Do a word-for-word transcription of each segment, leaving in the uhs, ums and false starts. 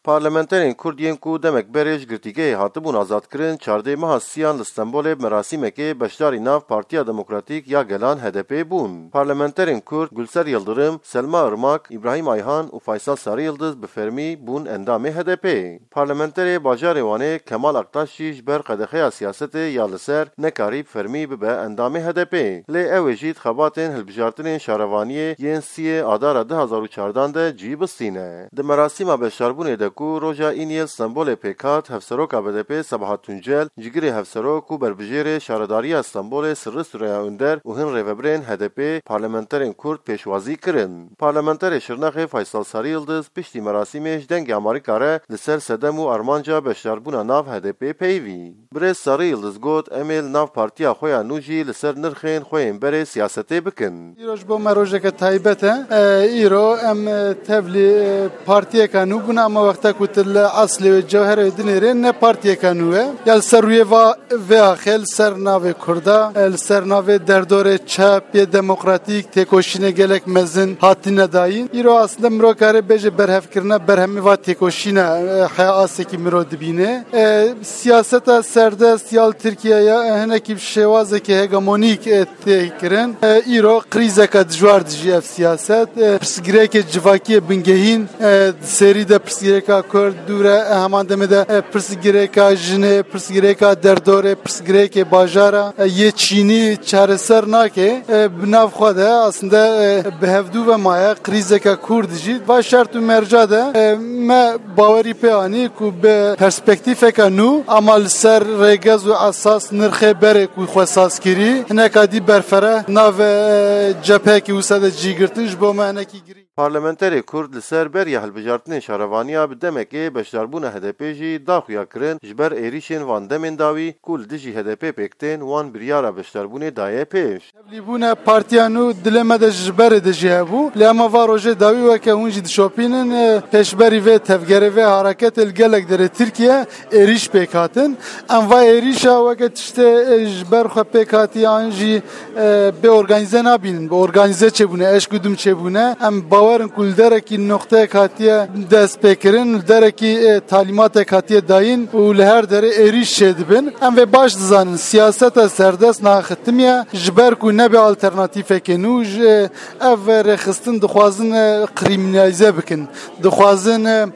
Parlamenterên Kurd yên ku demek berê ji girtîgehê hatibûn azadkirin, çardê meha siyan li Stenbolê bi merasîmekê beşdarî nav Partiya Demokratîk ya Gelan, H D P, bûn. Parlamenterên Kurd Gulser Yildirim, Selma Irmak, Îbrahîm Ayhan û Faysal Sarı Yıldız bi fermî bûn endamê H D P. Parlamenterê bajarê Wanê Kemal Aktaş jî ji ber qedexeya siyasetê ya li ser nekarî bi fermî bibe endamê H D P. Lê ew ê jî di xebatên hilbijartinên şarevaniyê yên siyê Adara du hazar û çardan de cî bistîne. Di merasîma beşdarbûnê de ku roja Îniyê li Stenbolê pêk hat, Hevseroka B D P Sebahat Tuncel, Cigirê Hevserok û Berbijêrê Şaredariya Stenbolê Sirri Süreyya Önder û hin rêvebirên H D P, parlamenterên Kurd pêşwazî kirin. Parlamenterê Şirnexê Faysal Sarı Yıldız piştî merasîmê ji Dengê Amerîka re li ser sedem û armanca beşdarbûna nav H D P peyivî. Birêz Sarı Yıldız got, em ê li nav partiya xwe ya nû jî li ser nirxên xwe yên berê siyasetê bikin. Îro ji bo me rojeke taybet e. E, îro em, e, tevlî, e, partiyeka nû bûne, ama wexta ku tu li eslê wê cewherê wê dinêrê ne partiyeka nû e. Ya li ser rûyê va-, vê axê li ser navê Kurda, e, li ser navê derdorê çep yê demokratîk têkoşînê gelek mezin hatine dayîn. Îro aslında mirov kare bêje berhevkirina berhemê va têkoşîne, e, heya asekî mirov dibîne. E, siyaseta serdest ya li Tirkiye ya, e, hinekî bi şêwazekî hegemonîk, e, tê kirin. E, îro krîzeke dijwar dijî ev siyaset. E, pirsgirêkê civakiyê bingehîn, e, di serî de pirsgirêka Kurd, dû re, e, heman demê de, e, pirsgirêka jinê, pirsgirêka derdorê, pirsgirêkê bajara, e, yê çînî çareser nake. E, bi nav xwe de aslında, e, bi hevdû ve maye krîzeke kûr dijî. Va şert û merca de, e, me bawerî pê anî ku bi perspektîfeke nû ama li ser rêgez û esas nirxê berê ku xwe saz kirî, hineka dî berfireh nave, e, cepheyekî wisa de cî girtin ji bo me hinekî girî. Parlamenterê Kurd li ser beriya hilbijartinên şarevaniya bi demekê beşdarbûna H D P jî da xuya kirin, ji ber êrîşên van demên dawî ku li dijî H D P pêk tên, wan biryara beşdarbûnê daye pêş. Tevlîbûna partiya nû dilê me de ji berê de jî hebû. Lê ema va rojê dawî weke hûn jî dişopînin, e, pêşberî vê tevgerê, vê hareketê li gelek derê Tirkiye êrîş pêk hatin. Em va êrîşa weke tiştê, e, ji ber xwe pêk hatî an jî, e, bê organîze nabînin. Bi organîze çêbûne, eşk û dim çêbûne. Em bawer in ku li derekî noqteyek hatiye dest pê kirin, li derekî, e, talîmatek hatiye dayîn û li her derê êrîş çêdibin. Em vê baş dizanin, siyaseta serdest naxitimiye, ji ber ku nebe alternatîfeke nû, ji, ev rêxistin dixwazin, e, krîminalîze bikin. Dixwazin, e,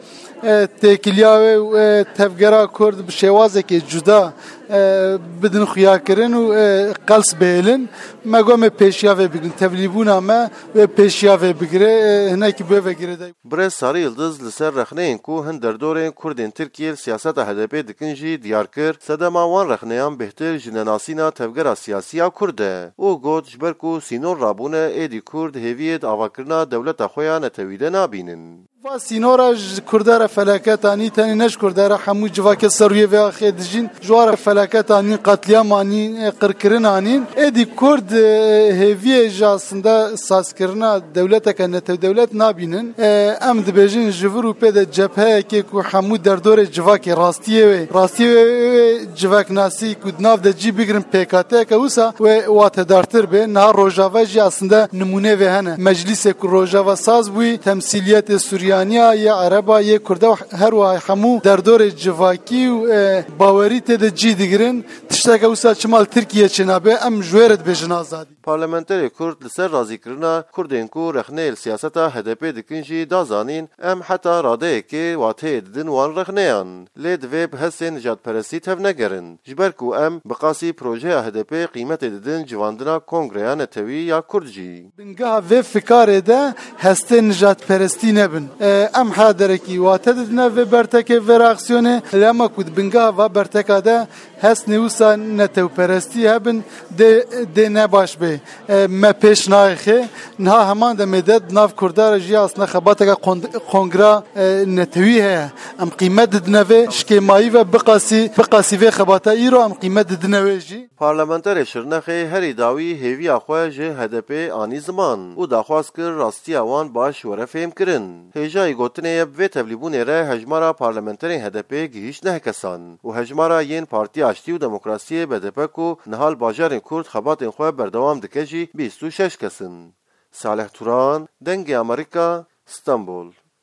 e, têkiliya wê û, e, tevgera Kurd bi şêwazekê cuda, e, bidin xuyakirin û, e, qels bihêlin. Me got me pêşiya vê bigirin. Tevlîbûna me wê pêşiya vê bigire, e, hinekî bi vê ve girêdayî. Birêz Sarı Yıldız li ser rexneyên ku hin derdorên Kurdên Tirkiyê li siyaseta H D P dikin jî diyar kir, sedema wan rexneyan bêhtir jinenasîna tevgera siyasî ya Kurd e. Û got, ji ber ku sînor rabûne, êdî Kurd hêviyê di avakirina dewleta xwe ya netewî de nabînin. Va sînora ji Kurda re felaket anî, tenê ne ji Kurda re, hemû civakê ser rûyê vê axê dijîn, ji wan re felaket anîn, qetlîam anîn, e, qirkirin anîn. Êdî Kurd, e, hêviyê ji aslında sazkirina dewleteke netewdewlet nabînin. E, em dibêjin ji vir û pê de cepheyekê ku hemû derdorê civakê rastiyê wê, rastiyê wê, wê civaknasî ku di nav de cî bigirin pêk hateyeke wisa wê watedartir bê. Niha Rojava jî aslında nimûnê vê hene. Meclîsê ku Rojava saz bûyî, temsîliyetê Suryaniya, yê Ereba, yê Kurda û her wiha hemû derdorê civakî û, e, bawerî tê de cî digirin. Tişteke wisa çima li Tirkiye çênabe, em ji wê re dibêjin azadî. Parlamenterê Kurd li ser razîkirina Kurdên ku rexneyê li siyaseta H D P dikin jî da zanîn, em heta radeyekê wateyê didin wan rexneyan. Lê divê bi hestên nijadperestî tevnegerin. Ji ber ku em bi qasî projeya H D P qîmetê didin civandina Kongreya Netewî ya Kurd jî. Bingeha vê fikarê de hestên nijadperestî nebin. E, em her derekî wate didine vê bertekê, vê reaksiyonê. Lê ema ku di bingeha va berteka de hestên wisa netewperestî hebin, dê, dê ne baş bê. E, me pêş nayê xê. Niha heman demê de di nav Kurda re jî aslında xebateke kon-, kongra, e, netewî heye. Em qîmet didine vê şikêmayî ve biqasî, biqasî vê xebata îro em qîmet didine wê jî. Parlamenterê Şirnexê herî dawî hêviya xwe ji H D P anî ziman û daxwaz kir rastiya wan baş were fêhmkirin. Hêjayî gotinê ye bi vê tevlîbûnê re hejmara parlamenterên H D P gihîşt neh kesan û hejmara yên Partiya Aştî û Demokrasiyê B D P ku niha li bajarên Kurd xebatên xwe berdewam dike jî bîst û şeş kes in. Salih Turan, Dengê Amerîka, Stenbol.